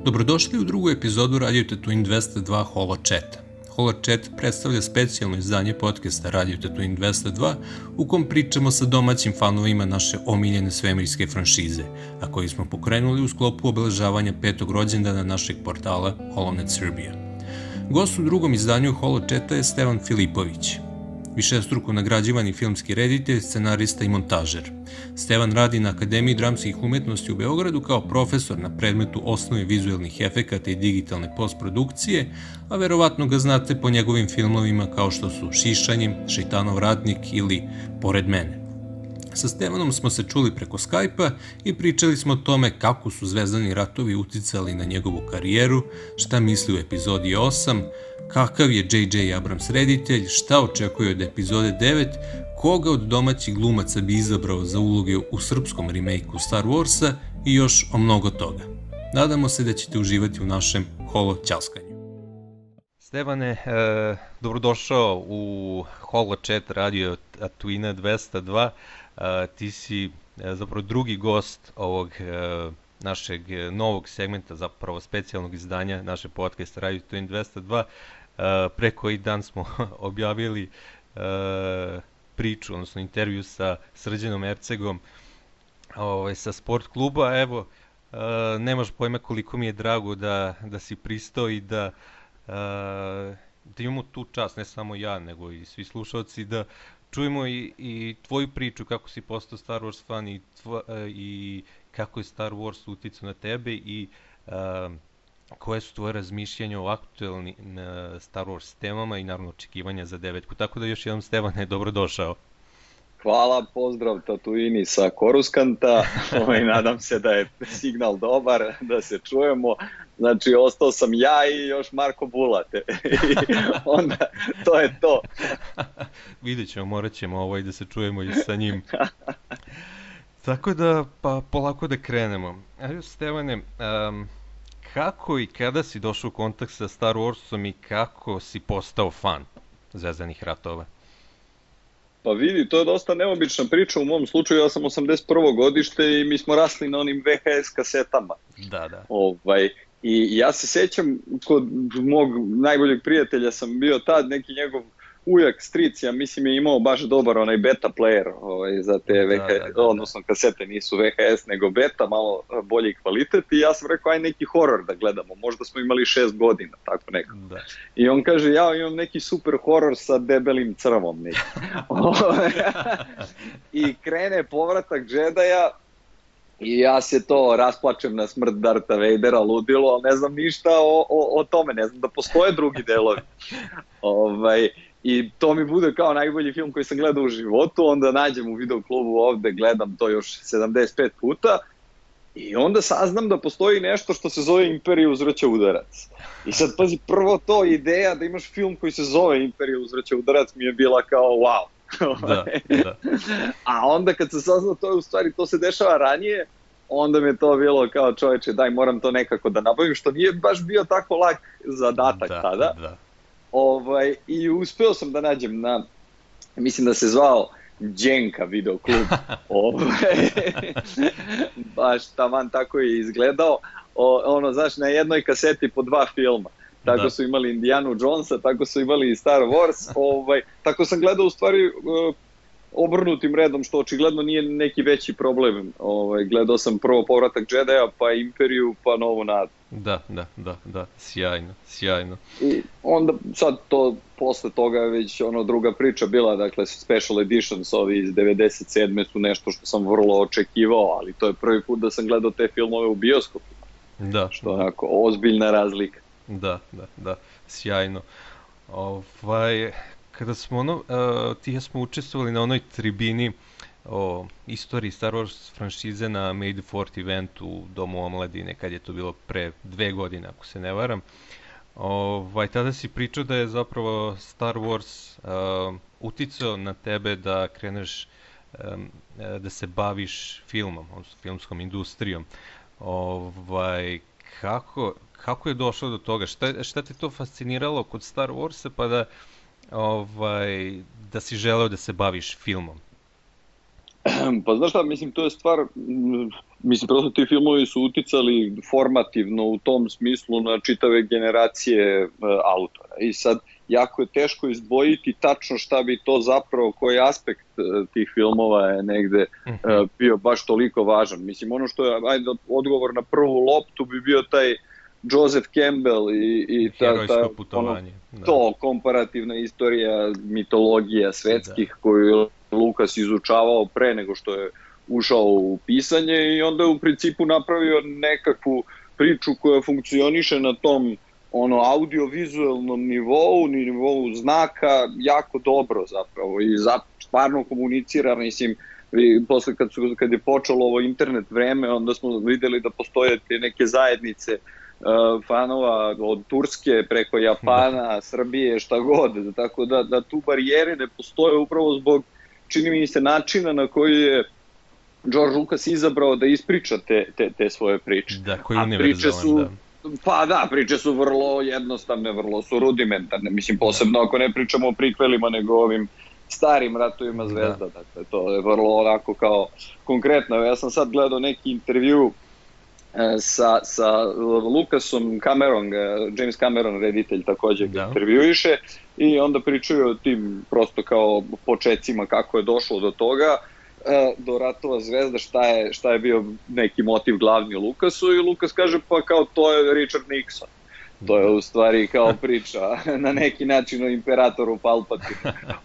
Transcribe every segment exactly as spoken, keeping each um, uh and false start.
Dobrodošli u drugu epizodu Radio Tatooine dvesta dva HoloChata. HoloChat predstavlja specijalno izdanje podcasta Radio Tatooine dvesta dva u kom pričamo sa domaćim fanovima naše omiljene svemirske franšize, a koji smo pokrenuli u sklopu obeležavanja petog rođendana našeg portala HoloNet Srbija. Gost u drugom izdanju HoloChata je Stevan Filipović, višestruko nagrađivani filmski reditelj, scenarista i montažer. Stevan radi na Akademiji dramskih umetnosti u Beogradu kao profesor na predmetu osnove vizuelnih efekata i digitalne postprodukcije, a verovatno ga znate po njegovim filmovima kao što su Šišanjem, Šejtanov ratnik ili Pored mene. Sa Stevanom smo se čuli preko Skype-a i pričali smo o tome kako su Zvezdani ratovi uticali na njegovu karijeru, šta misli u epizodi osam, kakav je Džej Džej Abrams reditelj, šta očekuje od epizode devet, koga od domaćih glumaca bi izabrao za uloge u srpskom remake-u Star Warsa i još o mnogo toga. Nadamo se da ćete uživati u našem holo ćaskanju. Stevane, e, dobrodošao u HoloChat Radio Tatooine dvesta dva. E, ti si e, zapravo drugi gost ovog e, našeg novog segmenta, zapravo specijalnog izdanja naše podcasta Radio Tatooine dvesta dva. Uh, pre koji dan smo objavili uh, priču, odnosno intervju sa Srđanom Ercegom ovaj, sa sport kluba. Evo, uh, nemaš pojma koliko mi je drago da, da si pristao i da, uh, da imamo tu čast, ne samo ja, nego i svi slušalci, da čujemo i, i tvoju priču, kako si postao Star Wars fan i, tvo, uh, i kako je Star Wars uticao na tebe i uh, koje su tvoje razmišljanja o aktuelnim uh, Star Wars temama i naravno očekivanja za devetku. Tako da još jednom, Stevane, dobrodošao. Hvala, pozdrav Tatooini sa Koruskanta, ovaj, nadam se da je signal dobar, da se čujemo. Znači, ostao sam ja i još Marko Bulate. I onda, to je to. Vidjet ćemo, morat ćemo ovaj da se čujemo i sa njim. Tako da, pa polako da krenemo. Evo, Stevane, um, kako i kada si došao u kontakt sa Star Warsom i kako si postao fan Zvezdanih ratova? Pa vidi, to je dosta neobična priča. U mom slučaju ja sam osamdeset prvo godište i mi smo rasli na onim ve ha es kasetama. Da, da. Ovaj, i ja se sećam, kod mog najboljeg prijatelja sam bio tad, neki njegov ujak, stric, ja mislim je imao baš dobar onaj beta player ovaj, za te ve ha es, da, da, da, odnosno kasete nisu ve ha es nego beta, malo bolji kvalitet i ja sam rekao aj neki horor da gledamo, možda smo imali šest godina, tako nekako. Da. I on kaže ja imam neki super horor sa debelim crvom neki. I krene povratak Džedaja i ja se to rasplačem na smrt Darta Vadera, ludilo, ali ne znam ništa o, o, o tome, ne znam da postoje drugi delovi. Ovaj, I to mi bude kao najbolji film koji sam gledao u životu, onda nađem u videoklubu ovde, gledam to još sedamdeset pet puta i onda saznam da postoji nešto što se zove Imperija uzvraća udarac. I sad pazi, prvo to ideja da imaš film koji se zove Imperija uzvraća udarac mi je bila kao wow. Da, da. A onda kad se saznao to je u stvari, to se dešava ranije, onda mi je to bilo kao čoveče, daj moram to nekako da nabavim, što nije baš bio tako lak zadatak da, tada. Da. Ovaj, i uspeo sam da nađem na, mislim da se zvao Đenka videoklub, ovaj, baš taman tako je izgledao, o, ono, znaš, na jednoj kaseti po dva filma, tako da. Su imali Indianu Jonesa, tako su imali i Star Wars, ovaj, tako sam gledao u stvari uh, obrnutim redom, što očigledno nije neki veći problem, ovaj, gledao sam prvo Povratak Džedaja, pa Imperiju, pa Novu nadu. Da, da, da, da, sjajno, sjajno. I onda sad to, posle toga već ono druga priča bila, dakle special editions ovi iz devedeset sedme su nešto što sam vrlo očekivao, ali to je prvi put da sam gledao te filmove u bioskopima. Da. Što je onako ozbiljna razlika. Da, da, da, sjajno. Ovaj, kada smo ono, uh, ti ja smo učestvovali na onoj tribini o istoriji Star Wars franšize na May the fourth eventu u Domu omladine, kad je to bilo pre dve godine, ako se ne varam. Ovaj, tada si pričao da je zapravo Star Wars uh, uticao na tebe da kreneš um, da se baviš filmom, odnosno filmskom industrijom. Ovaj, kako, kako je došlo do toga? Šta, šta te to fasciniralo kod Star Warsa pa da, ovaj, da si želeo da se baviš filmom? Pa znaš šta, mislim, to je stvar mislim, prosto ti filmovi su uticali formativno u tom smislu na čitave generacije uh, autora. I sad, jako je teško izdvojiti tačno šta bi to zapravo, koji aspekt uh, tih filmova je negde uh, bio baš toliko važan. Mislim, ono što je, ajde, odgovor na prvu loptu bi bio taj Joseph Campbell i, i ta, herojsko putovanje. Ono, to, komparativna istorija mitologija svetskih da. Koju je Lukas izučavao pre nego što je ušao u pisanje i onda je u principu napravio nekakvu priču koja funkcioniše na tom ono audiovizualnom nivou, nivou znaka jako dobro zapravo i za, stvarno komunicira, mislim, i posle kad, su, kad je počelo ovo internet vreme, onda smo videli da postoje te neke zajednice uh, fanova od Turske preko Japana, Srbije, šta god, tako da, da tu barijere ne postoje upravo zbog, čini mi se, načina na koji je George Lucas izabrao da ispriča te, te, te svoje priče. Da, koji je univerzalan, da. Pa da, priče su vrlo jednostavne, vrlo su rudimentarne, mislim, posebno ako ne pričamo o prikvelima, nego ovim starim ratovima zvezda, da. Dakle, to je vrlo onako kao konkretno. Ja sam sad gledao neki intervju e, sa, sa Lucasom, Cameron, James Cameron, reditelj, takođe ga intervjuiše i onda pričaju o tim prosto kao počecima kako je došlo do toga, do Ratova zvezda, šta je, šta je bio neki motiv glavni Lukasu i Lukas kaže pa kao to je Richard Nixon. To je u stvari kao priča na neki način o imperatoru Palpatinu.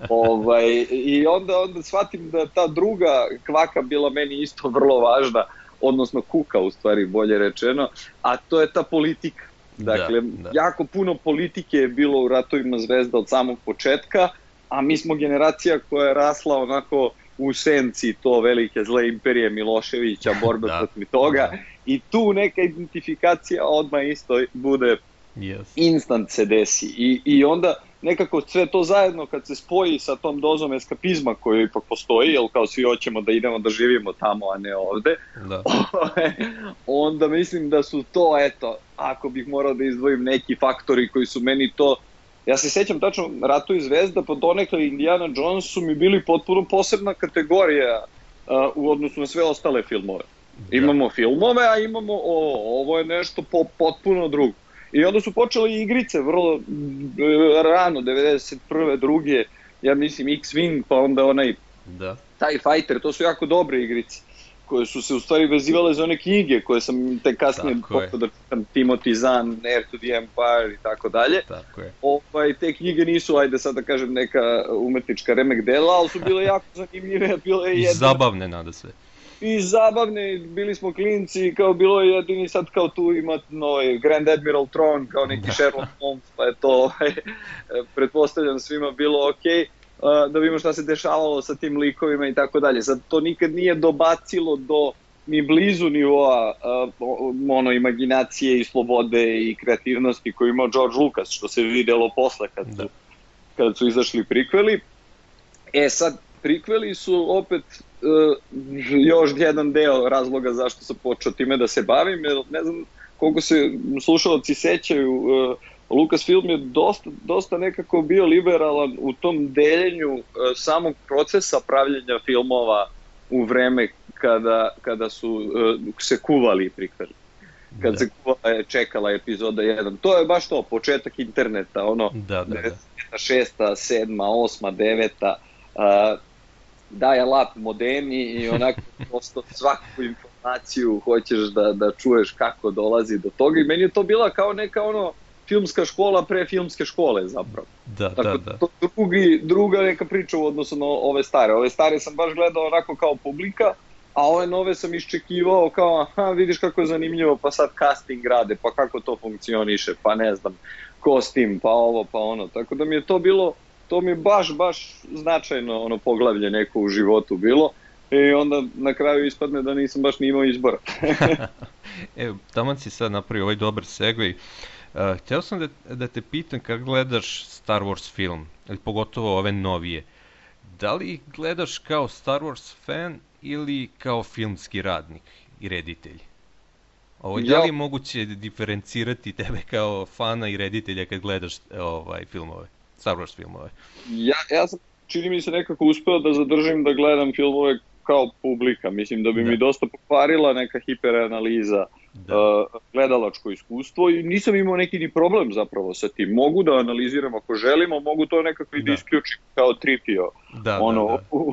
ovaj, I onda, onda shvatim da ta druga kvaka bila meni isto vrlo važna, odnosno kuka u stvari bolje rečeno, a to je ta politika. Dakle, da, da. jako puno politike je bilo u Ratovima zvezda od samog početka, a mi smo generacija koja je rasla onako u senci to velike zle imperije Miloševića, borbe da, protiv toga da. I tu neka identifikacija odmah isto bude yes. instant se desi I, i onda nekako sve to zajedno kad se spoji sa tom dozom eskapizma koju ipak postoji, jer kao svi hoćemo da idemo da živimo tamo, a ne ovde, da. onda mislim da su to, eto, ako bih morao da izdvojim neki faktori koji su meni to. Ja se sećam tačno, Ratovi zvezda, pa donekle Indiana Jones su mi bili potpuno posebna kategorija uh, u odnosu na sve ostale filmove. Da. Imamo filmove, a imamo, o, ovo je nešto po, potpuno drugo. I onda su počele igrice vrlo rano, devedeset prve, druge, ja mislim X-Wing, pa onda onaj da. TIE Fighter, to su jako dobre igrice, koje su se u stvari vezivale za one knjige koje sam te kasnije počeo da čitam, Timothy Zahn, Heir to the Empire i tako dalje. Tako je. Ovaj, te knjige nisu, ajde sad da kažem, neka umetnička remek dela, ali su bile jako zanimljive. Bile I jedne... zabavne nada sve. I zabavne, bili smo klinci, kao bilo je jedini sad kao tu ima ovaj Grand Admiral Thrawn, kao neki da. Sherlock Holmes, pa je to, pretpostavljam svima bilo okej. Okay. Da vidimo šta se dešavalo sa tim likovima i tako dalje. Sad to nikad nije dobacilo do ni blizu nivoa uh, ono imaginacije i slobode i kreativnosti koju imao George Lucas, što se videlo posle kad su, kad su izašli prikveli. E sad, prikveli su opet uh, još jedan deo razloga zašto sam počeo time da se bavim, jer ne znam koliko se slušalci sećaju, uh, Lucasfilm je dosta, dosta nekako bio liberalan u tom deljenju uh, samog procesa pravljenja filmova u vreme kada, kada su uh, se kuvali prikveli. Kad da. se kuvala je čekala epizoda jedan. To je baš to, početak interneta, ono, da, da, da. šesta, sedma, osma, deveta, uh, daje lap modemi i onako prosto svaku informaciju hoćeš da, da čuješ kako dolazi do toga i meni je to bila kao neka ono filmska škola pre filmske škole zapravo. Da, Tako, da, da. To drugi, druga neka priča u odnosu na ove stare. Ove stare sam baš gledao onako kao publika, a ove nove sam iščekivao kao, aha, vidiš kako je zanimljivo, pa sad casting rade, pa kako to funkcioniše, pa ne znam, kostim, pa ovo, pa ono. Tako da mi je to bilo, to mi je baš, baš značajno ono poglavlje neko u životu bilo i onda na kraju ispadne da nisam baš ni imao izbora. Evo, taman si sad napravio ovaj dobar segway. Uh, htio sam da, da te pitam kako gledaš Star Wars film, ili pogotovo ove novije. Da li gledaš kao Star Wars fan ili kao filmski radnik i reditelj? Ovo, ja. Da li je moguće diferencirati tebe kao fana i reditelja kad gledaš ovaj, filmove, Star Wars filmove? Ja, ja sam, čini mi se, nekako uspeo da zadržim da gledam filmove kao publika. Mislim da bi Da. mi dosta pokvarila neka hiperanaliza, Da. uh, gledalačko iskustvo i nisam imao neki ni problem zapravo sa tim. Mogu da analiziram ako želimo, mogu to nekako i da Da. isključim kao tripio Da, ono, da, da. U,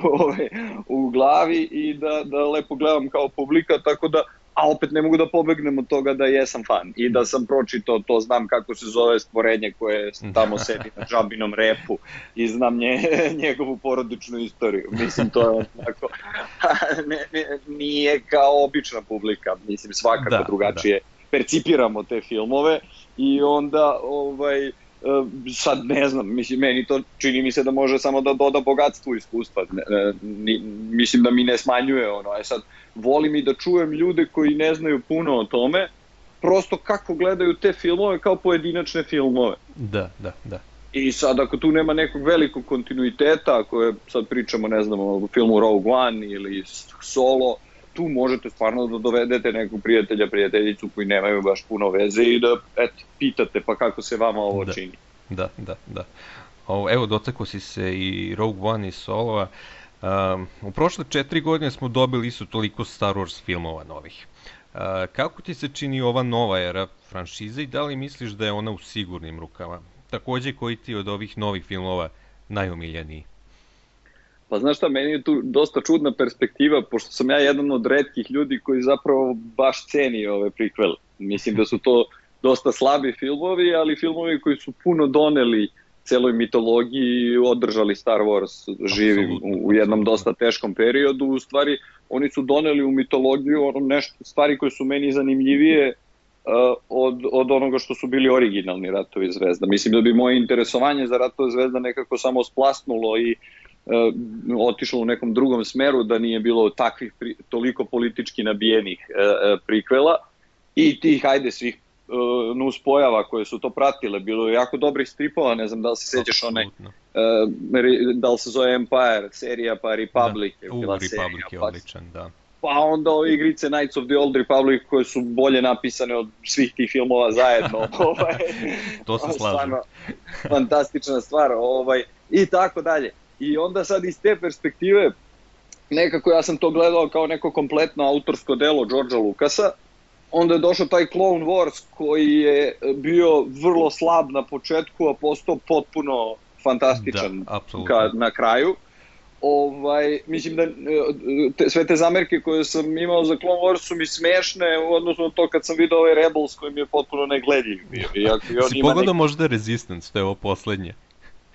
u, u glavi i da, da lepo gledam kao publika, tako da, a opet ne mogu da pobegnem od toga da jesam fan i da sam pročitao to, znam kako se zove stvorenje koje tamo sedi na džabinom repu i znam nje, njegovu porodičnu istoriju. Mislim, to je onako, ne, ne, nije kao obična publika, mislim, svakako Da, drugačije percipiramo te filmove i onda, ovaj, sad ne znam, mislim, meni to čini mi se da može samo da doda bogatstvu iskustva, ne, ne, mislim da mi ne smanjuje ono, e sad volim i da čujem ljude koji ne znaju puno o tome, prosto kako gledaju te filmove kao pojedinačne filmove. Da, da, da. I sad ako tu nema nekog velikog kontinuiteta, ako je, sad pričamo, ne znam, o filmu Rogue One ili Solo, tu možete stvarno da dovedete nekog prijatelja, prijateljicu koji nemaju baš puno veze i da, eto, pitate pa kako se vama ovo Da. čini. Da, da, da. O, evo, dotakao si se i Rogue One i Solova. Um, u prošle četiri godine smo dobili isto toliko Star Wars filmova novih. Uh, kako ti se čini ova nova era franšize i da li misliš da je ona u sigurnim rukama? Takođe, koji ti od ovih novih filmova najomiljeniji? Pa znaš šta, meni je tu dosta čudna perspektiva, pošto sam ja jedan od retkih ljudi koji zapravo baš ceni ove prikvele. Mislim da su to dosta slabi filmovi, ali filmovi koji su puno doneli celoj mitologiji i održali Star Wars živim u, u jednom dosta teškom periodu. U stvari, oni su doneli u mitologiju ono nešto, stvari koje su meni zanimljivije uh, od, od onoga što su bili originalni Ratovi zvezda. Mislim da bi moje interesovanje za Ratove zvezda nekako samo splasnulo i uh, otišlo u nekom drugom smeru, da nije bilo takvih pri, toliko politički nabijenih uh, uh, prikvela i tih, hajde, svih uh, nuspojava koje su to pratile. Bilo je jako dobrih stripova, ne znam da li se sećaš onaj, uh, da li se zove Empire serija, pa Republic da. je bila U, serija. Republic je pa, odličan, da. Pa onda ove igrice Knights of the Old Republic koje su bolje napisane od svih tih filmova zajedno. ovaj, To se slažem. Stvarno, fantastična stvar. Ovaj, I tako dalje. I onda sad iz te perspektive, nekako ja sam to gledao kao neko kompletno autorsko delo Georgea Lucasa, onda je došao taj Clone Wars koji je bio vrlo slab na početku, a postao potpuno fantastičan da, ka, na kraju. Ovaj, mislim da te, sve te zamerke koje sam imao za Clone Wars su mi smešne u odnosu na to kad sam vidio ovaj Rebels koji mi je potpuno negledljiv bio. Iako on si ima pogledao neki... možda Resistance, to je ovo poslednje?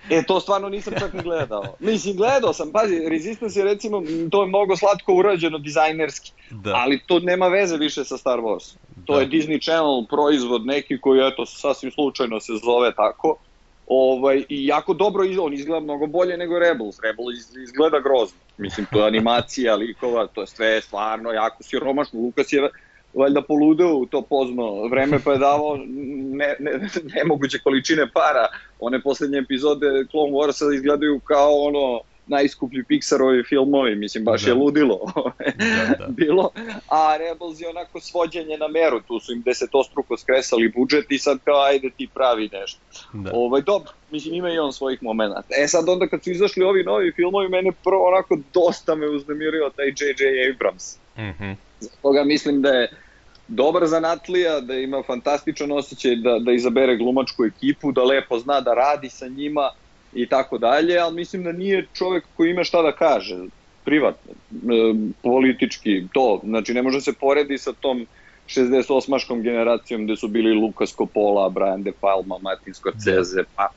E, to stvarno nisam čak ni gledao. Mislim, gledao sam, pazi, Resistance je recimo, to je mnogo slatko urađeno dizajnerski, da. Ali to nema veze više sa Star Wars. To da. je Disney Channel proizvod neki koji, eto, sasvim slučajno se zove tako. Ovaj, i jako dobro, on izgleda mnogo bolje nego Rebels. Rebels izgleda grozno. Mislim, to je animacija likova, to je sve stvarno jako siromašno. Lucas je valjda poludeo u to pozno vreme, pa je davao ne, ne, nemoguće količine para. One poslednje epizode Clone Warsa izgledaju kao ono najskuplji Pixarovi filmovi, mislim, baš da. je ludilo da, da. bilo, a Rebels je onako svođenje na meru, tu su im desetostruko skresali budžet i sad kao ajde ti pravi nešto. Da. Ovaj, dobro, mislim, ima i on svojih momenata. E sad onda kad su izašli ovi novi filmovi, mene prvo onako dosta me uznemirio taj J J Abrams. Mm-hmm. Zato toga mislim da je dobar zanatlija, da ima fantastičan osjećaj da, da izabere glumačku ekipu, da lepo zna da radi sa njima i tako dalje, ali mislim da nije čovjek koji ima šta da kaže, privatno, e, politički, to, znači ne može se poredi sa tom šezdeset osmaškom generacijom gde su bili Lucas Coppola, Brian De Palma, Martin Scorsese, pa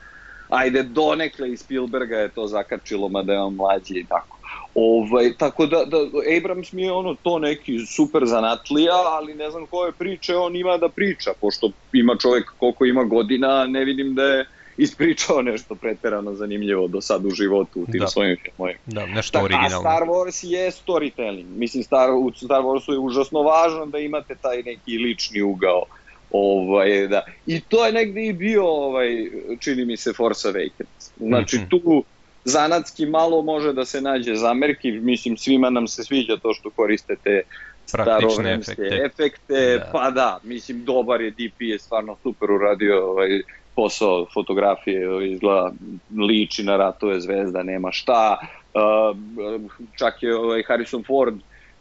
ajde donekle i Spielberga je to zakačilo, mada je on mlađi i tako. Ovaj, tako da, da Abrams mi je ono to neki super zanatlija, ali ne znam koje priče on ima da priča, pošto ima čovjek koliko ima godina, ne vidim da je ispričao nešto preterano zanimljivo do sad u životu u tim da. svojim filmovima. Da, nešto originalno. A Star Wars je storytelling. Mislim, Star, u Star Warsu je užasno važno da imate taj neki lični ugao. Ovaj, da. I to je negde i bio, ovaj, čini mi se, Force Awakens. Znači, mm-hmm. tu zanatski malo može da se nađe zamerki. Mislim, svima nam se sviđa to što koristete starovremske efekte, efekte da. Pa da, mislim, dobar je, D P je stvarno super uradio ovaj, posao fotografije, izgleda, liči na Ratove zvezda, nema šta, uh, čak je ovaj Harrison Ford,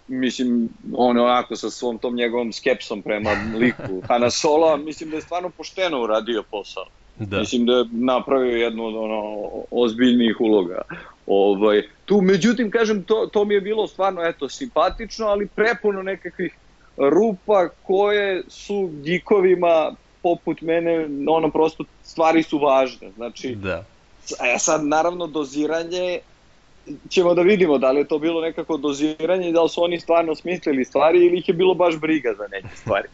mislim, on onako sa svom tom njegovom skepsom prema liku Hana Soloa, mislim da je stvarno pošteno uradio posao. Da. Mislim da je napravio jednu od ono, ozbiljnijih uloga. Ovaj, tu, međutim, kažem, to, to mi je bilo stvarno, eto, simpatično, ali prepuno nekakvih rupa koje su geekovima poput mene, ono, prosto stvari su važne. Znači, da. E sad, naravno, doziranje, ćemo da vidimo da li je to bilo nekako doziranje, da li su oni stvarno smislili stvari ili ih je bilo baš briga za neke stvari.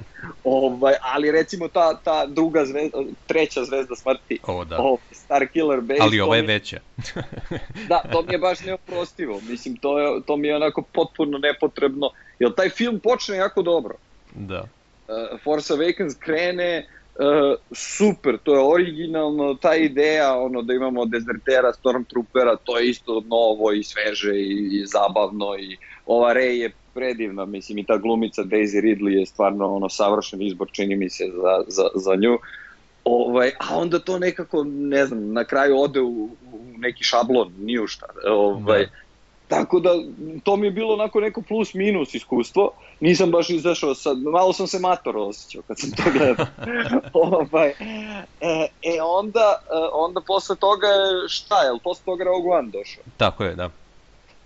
Ovaj, ali recimo ta, ta druga zvezda, treća zvezda smrti, o, da. o, Star Killer Base. Ali ova je veća. Da, to mi je baš neoprostivo. Mislim, to, je, to mi je onako potpuno nepotrebno. Jer taj film počne jako dobro. Da. Uh, Force Awakens krene Uh, super, to je originalno, ta ideja ono da imamo dezertera, stormtroopera, to je isto novo i sveže i, i zabavno i ova Rey je predivna, mislim i ta glumica Daisy Ridley je stvarno ono savršen izbor, čini mi se za, za, za nju. Ovaj, a onda to nekako, ne znam, na kraju ode u, u neki šablon, ni u šta. Ovaj, da. Tako da, to mi je bilo onako neko plus minus iskustvo, nisam baš izašao sad, malo sam se mator osjećao kad sam to gledao. ovaj, e, e onda, onda posle toga je, šta je, posle toga Rogue One došao? Tako je, da.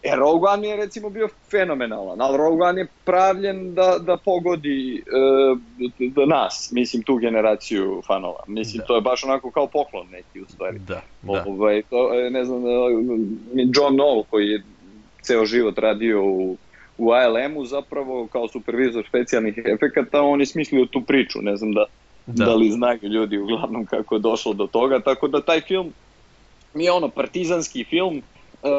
E, Rogue One mi je recimo bio fenomenalan, ali Rogue One je pravljen da, da pogodi e, da nas, mislim tu generaciju fanova, mislim da. To je baš onako kao poklon neki u stvari. Da, da. Ovaj, to, ne znam, John Knoll koji je ceo život radio u, u A L M-u zapravo kao supervizor specijalnih efekata, on je smislio tu priču, ne znam da, da. da li znaju ljudi uglavnom kako je došlo do toga, tako da taj film mi je ono partizanski film uh,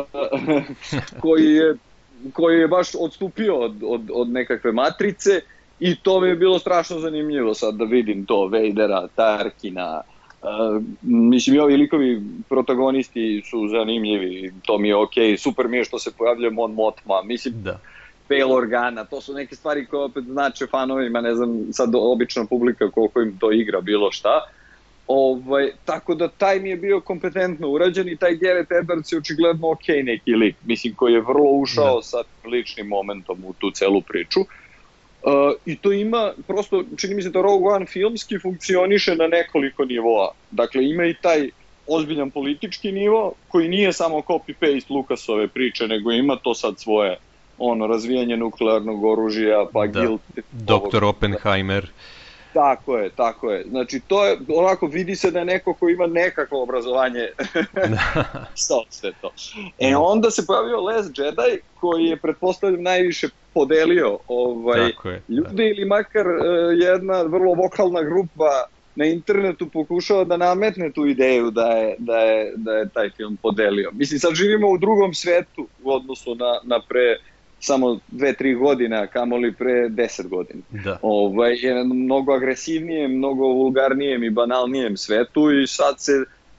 koji, je, koji je baš odstupio od, od, od nekakve matrice i to mi je bilo strašno zanimljivo sad da vidim to, Vadera, Tarkina. Uh, mislim i ovi likovi protagonisti su zanimljivi, to mi je okej, okay. Super mi je što se pojavljuje Mon Mothma, mislim da. Bail Organa, to su neke stvari koje opet znače fanovima, ne znam sad obična publika koliko im to igra bilo šta. Ovaj, tako da taj mi je bio kompetentno urađen i taj Gareth Edwards je očigledno okej okay neki lik, mislim koji je vrlo ušao da. Sa ličnim momentom u tu celu priču. Uh, I to ima, prosto, čini mi se da Rogue One filmski funkcioniše na nekoliko nivoa. Dakle, ima i taj ozbiljan politički nivo, koji nije samo copy-paste Lucasove priče, nego ima to sad svoje ono, razvijanje nuklearnog oružja, pa da. Guild... doktor Oppenheimer. Tako je, tako je. Znači, to je, onako, vidi se da je neko ko ima nekakvo obrazovanje sa sve to. E, onda se pojavio Les Jedi, koji je, pretpostavljam, najviše podelio ovaj, ljudi ili makar uh, jedna vrlo vokalna grupa na internetu pokušava da nametne tu ideju da je, da je, da je taj film podelio. Mislim, sad živimo u drugom svetu u odnosu na, na pre samo dve, tri godina, kamoli pre deset godina. Da. Ovaj, je mnogo agresivnijem, mnogo vulgarnijem i banalnijem svetu i sad se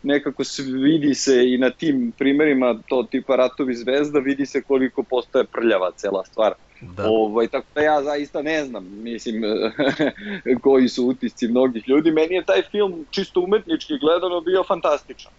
nekako vidi se i na tim primerima to tipa Ratovi zvezda, vidi se koliko postaje prljava cela stvar. Da. Ovaj, tako da ja zaista ne znam, mislim, koji su utisci mnogih ljudi. Meni je taj film čisto umetnički gledano bio fantastičan.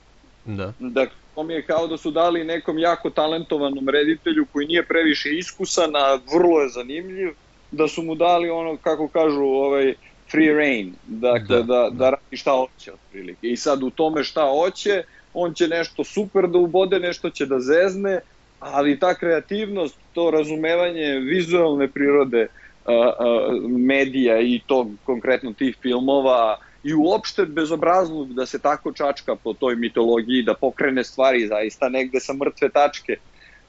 Da. Dakle, to mi je kao da su dali nekom jako talentovanom reditelju koji nije previše iskusan, a vrlo je zanimljiv, da su mu dali ono, kako kažu, ovaj free reign, dakle, da, da, da radi šta hoće otprilike. I sad u tome šta hoće, on će nešto super da ubode, nešto će da zezne, ali ta kreativnost, to razumevanje vizualne prirode a, a, medija i to konkretno tih filmova i uopšte bezobrazluk da se tako čačka po toj mitologiji, da pokrene stvari zaista negde sa mrtve tačke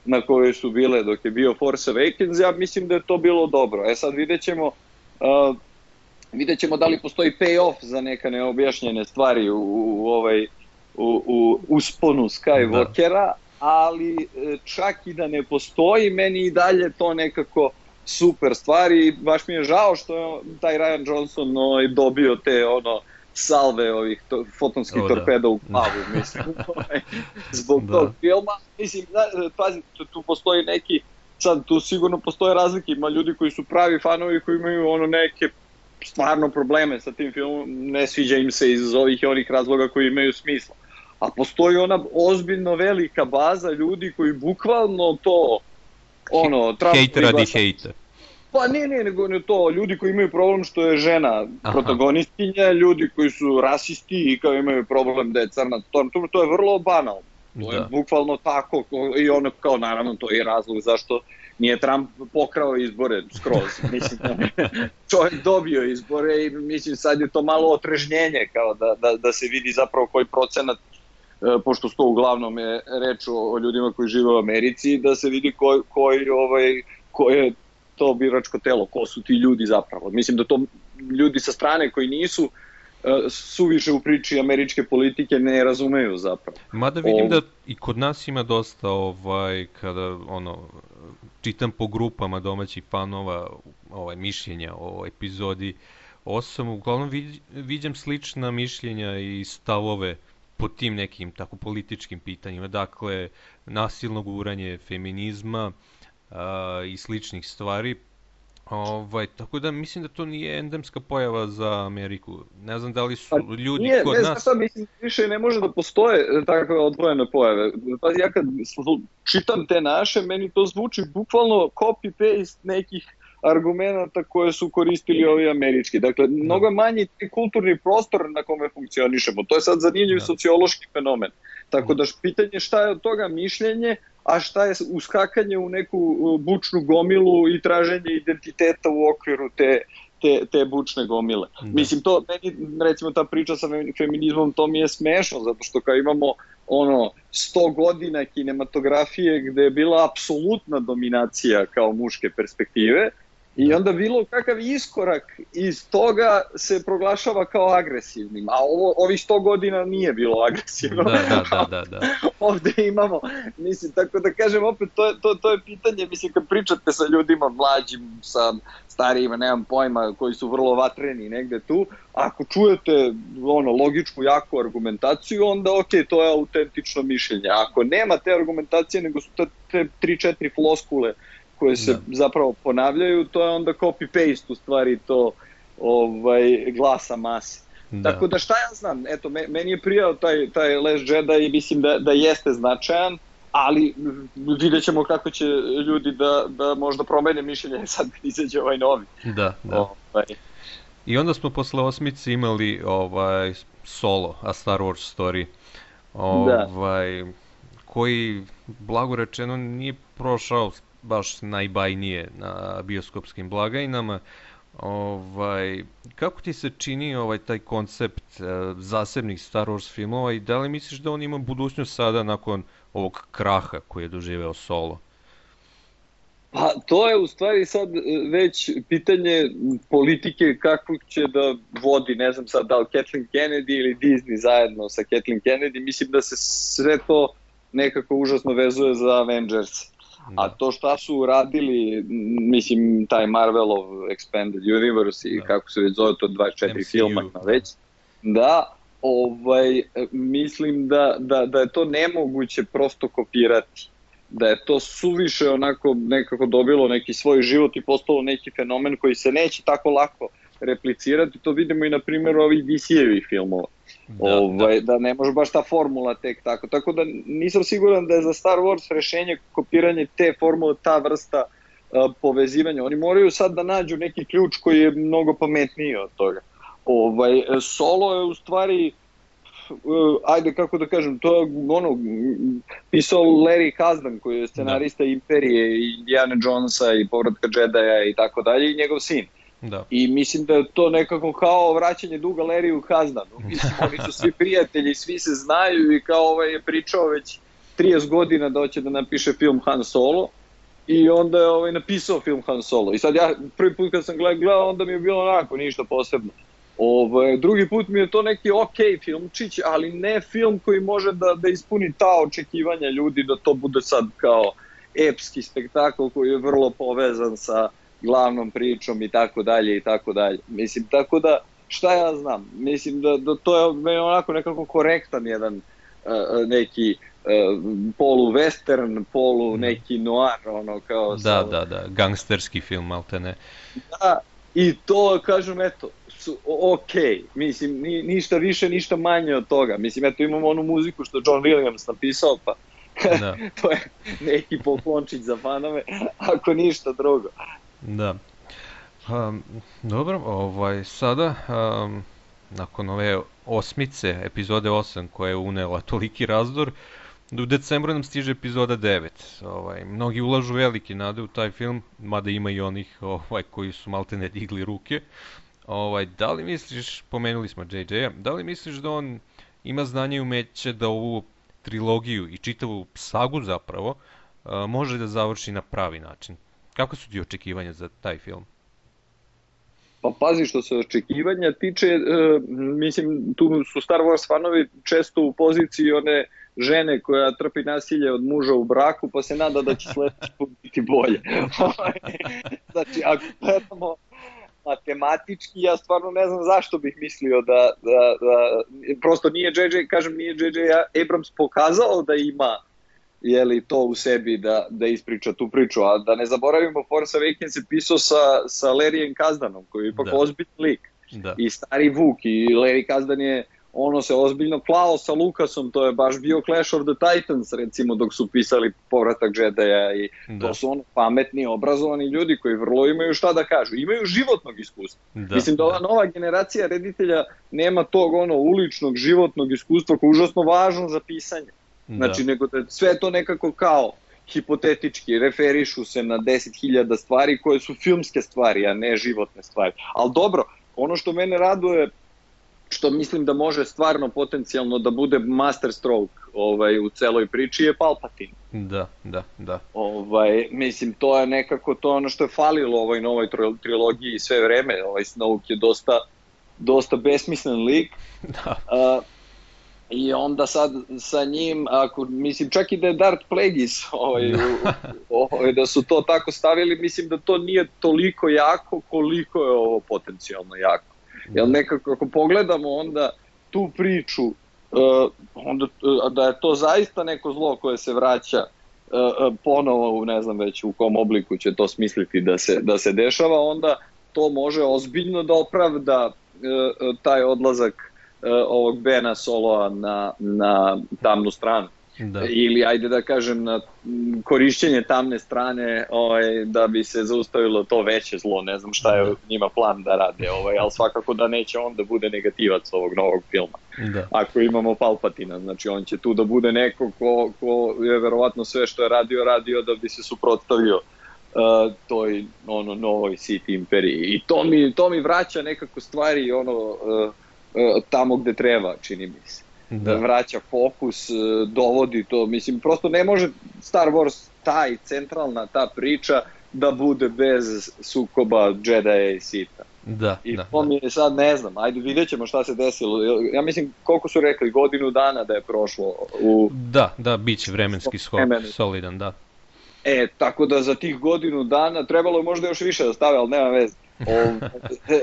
na koje su bile dok je bio Force Awakens, ja mislim da je to bilo dobro. E sad vidjet ćemo, uh, vidjet ćemo da li postoji pay-off za neka neobjašnjene stvari u, u, ovaj, u, u usponu Skywalkera, da. Ali čak i da ne postoji, meni i dalje to nekako super stvari. Baš mi je žao što je taj Rian Johnson no, dobio te ono salve ovih to, fotonskih oh, torpeda da. U glavu, mislim, zbog da. Tog filma. Mislim, da, pazi, tu, tu postoji neki, sad tu sigurno postoje razlike, ima ljudi koji su pravi fanovi koji imaju ono neke stvarno probleme sa tim filmom, ne sviđa im se iz ovih i onih razloga koji imaju smisla. a postoji ona ozbiljno velika baza ljudi koji bukvalno to, ono, hejt radi hejta. Pa ne, ne, nego ne to, ljudi koji imaju problem što je žena protagonistkinja, ljudi koji su rasisti i kao imaju problem da je crna, to, to je vrlo banalno. To je bukvalno tako i ono kao naravno to je razlog zašto nije Trump pokrao izbore skroz. Mislim da čovjek dobio izbore i mislim sad je to malo otrežnjenje kao da, da, da se vidi zapravo koji procenat, pošto sto uglavnom je reč o, o ljudima koji žive u Americi, da se vidi koji, koji, ovaj, koji je to biračko telo, ko su ti ljudi zapravo. Mislim da to ljudi sa strane koji nisu suviše u priči američke politike ne razumeju zapravo. Mada vidim da i kod nas ima dosta ovaj kada ono čitam po grupama domaćih fanova ovaj mišljenja o epizodi osam, uglavnom viđam slična mišljenja i stavove po tim nekim tako političkim pitanjima, dakle nasilno guranje feminizma a, i sličnih stvari. Ovaj, tako da mislim da to nije endemska pojava za Ameriku. Ne znam da li su ljudi nije, kod ne, nas... Ne, znam, mislim, više ne može da postoje takve odvojene pojave. Pa ja kad čitam te naše, meni to zvuči bukvalno copy-paste nekih argumenta koje su koristili ovi američki. Dakle, no. mnogo manji kulturni prostor na kome funkcionišemo. To je sad zanimljiv no. sociološki fenomen. Tako da pitanje šta je od toga mišljenje, a šta je uskakanje u neku bučnu gomilu i traženje identiteta u okviru te, te, te bučne gomile. Da. Mislim, to, meni, recimo, ta priča sa feminizmom, to mi je smešno, zato što kao imamo ono, sto godina kinematografije gde je bila apsolutna dominacija kao muške perspektive, i onda bilo kakav iskorak iz toga se proglašava kao agresivnim, a ovo, ovih sto godina nije bilo agresivno. Da, da, da, da, da. Ovde imamo, mislim, tako da kažem, opet, to je, to, to je pitanje, mislim, kad pričate sa ljudima mlađim, sa starijima, nemam pojma, koji su vrlo vatreni negde tu, ako čujete ono, logičku, jaku argumentaciju, onda ok, to je autentično mišljenje. Ako nema te argumentacije, nego su te, te tri četiri floskule koje se da. zapravo ponavljaju, to je onda copy-paste u stvari to ovaj, glasa mase. Da. Tako da šta ja znam, eto, meni je prijao taj, taj Last Jedi i mislim da, da jeste značajan, ali vidjet ćemo kako će ljudi da, da možda promene mišljenje sad kad izađe ovaj novi. Da, da. Ovaj. I onda smo posle osmice imali ovaj, Solo, A Star Wars Story, ovaj, da. koji, blago rečeno, nije prošao baš najbajnije na bioskopskim blagajnama. Ovaj, kako ti se čini ovaj taj koncept uh, zasebnih Star Wars filmova i da li misliš da on ima budućnost sada nakon ovog kraha koji je doživeo Solo? Pa to je u stvari sad već pitanje politike kako će da vodi, ne znam sad da li Kathleen Kennedy ili Disney zajedno sa Kathleen Kennedy. Mislim da se sve to nekako užasno vezuje za Avengers. A to šta su uradili, mislim, taj Marvelov Expanded Universe i da. kako se već zove to dvadeset četiri M C U. Filma već, da, ovaj, mislim da, da, da je to nemoguće prosto kopirati. Da je to suviše onako nekako dobilo neki svoj život i postalo neki fenomen koji se neće tako lako replicirati. To vidimo i na primjeru ovih D C-evih filmova. Da, ovaj, da. da ne može baš ta formula tek tako. Tako da nisam siguran da je za Star Wars rešenje kopiranje te formule, ta vrsta uh, povezivanja. Oni moraju sad da nađu neki ključ koji je mnogo pametniji od toga. Ovaj, Solo je u stvari, uh, ajde kako da kažem, to je ono, pisao Larry Kasdan koji je scenarista da. Imperije i Indiana Jonesa i Povratka Jedija i tako dalje i njegov sin. Da. I mislim da je to nekako kao vraćanje duga Larryu Kasdanu. Mislim, oni su svi prijatelji, svi se znaju i kao ovaj je pričao već trideset godina da hoće da napiše film Han Solo i onda je ovaj napisao film Han Solo. I sad ja prvi put kad sam gledao, onda mi je bilo onako ništa posebno. Ovaj, drugi put mi je to neki ok filmčić, ali ne film koji može da, da ispuni ta očekivanja ljudi da to bude sad kao epski spektakl koji je vrlo povezan sa glavnom pričom i tako dalje i tako dalje. Mislim, tako da, šta ja znam, mislim da, da to je meni onako nekako korektan jedan uh, neki uh, polu-western, polu neki noir, ono kao... Da, sa, da, da, gangsterski film, malte ne. Da, i to, kažem, eto, su ok, mislim, ni, ništa više, ništa manje od toga. Mislim, eto imamo onu muziku što John Williams napisao, pa da. To je neki poklončić za fanove, ako ništa drugo. Da. Um, dobro, ovaj, sada, um, nakon ove osmice, epizode osam, koja je unela toliki razdor, u decembru nam stiže epizoda devet. Ovaj, mnogi ulažu velike nade u taj film, mada ima i onih ovaj, koji su malte ne digli ruke. Ovaj, da li misliš, pomenuli smo J J-a, da li misliš da on ima znanje i umeće da ovu trilogiju i čitavu sagu zapravo uh, može da završi na pravi način? Kako su ti očekivanja za taj film? Pa pazi, što se očekivanja tiče, e, mislim, tu su Star Wars fanovi često u poziciji one žene koja trpi nasilje od muža u braku, pa se nada da će sledeći put biti bolje. Znači, ako gledamo matematički, ja stvarno ne znam zašto bih mislio da, da, da prosto nije J J, kažem, nije J J Abrams pokazao da ima jeli to u sebi da, da ispriča tu priču, a da ne zaboravimo Force Awakens je pisao sa, sa Larryem Kazdanom, koji je ipak da. ozbiljni lik, da. i stari Vuk, i Larry Kazdan je ono se ozbiljno klao sa Lukasom, to je baš bio Clash of the Titans, recimo, dok su pisali Povratak Jedi-a, i da. to su ono pametni, obrazovani ljudi koji vrlo imaju šta da kažu, imaju životnog iskustva. Da. Mislim da ova nova generacija reditelja nema tog ono uličnog životnog iskustva koje je užasno važno za pisanje. Znači, da. nego da sve to nekako kao hipotetički referišu se na deset hiljada stvari koje su filmske stvari, a ne životne stvari. Ali dobro, ono što mene raduje, što mislim da može stvarno potencijalno da bude masterstroke ovaj, u celoj priči, je Palpatine. Da, da, da. Ovaj, mislim, to je nekako to ono što je falilo ovoj novoj trilogiji sve vreme. Ovaj Snoke je dosta, dosta besmislen lik. Da. Uh, I onda sad sa njim, ako, mislim, čak i da je Darth Plagueis, ovaj, ovaj, da su to tako stavili, mislim da to nije toliko jako koliko je ovo potencijalno jako. Jer nekako, ako pogledamo onda tu priču, uh, onda, uh, da je to zaista neko zlo koje se vraća uh, ponovo u ne znam već u kom obliku će to smisliti da se, da se dešava, onda to može ozbiljno da opravda uh, taj odlazak ovog Bena Soloa na, na tamnu stranu. Da. Ili, ajde da kažem, na korišćenje tamne strane ovaj, da bi se zaustavilo to veće zlo. Ne znam šta je da. njima plan da rade, ovaj, ali svakako da neće on da bude negativac ovog novog filma. Da. Ako imamo Palpatina, znači on će tu da bude neko ko, ko je verovatno sve što je radio, radio da bi se suprotstavio uh, toj ono, novoj Sith imperiji. I to mi, to mi vraća nekako stvari ono... Uh, tamo gde treba, čini mi se. Da. Vraća fokus, dovodi to, mislim, prosto ne može Star Wars, taj, centralna ta priča, da bude bez sukoba Jedi i Sitha. Da, I da, to da. mi je sad, ne znam, ajde vidjet ćemo šta se desilo. Ja mislim, koliko su rekli, godinu dana da je prošlo u... Da, da, bit će vremenski skok, solidan, da. E, tako da za tih godinu dana trebalo je možda još više da stave, ali nema veze. O,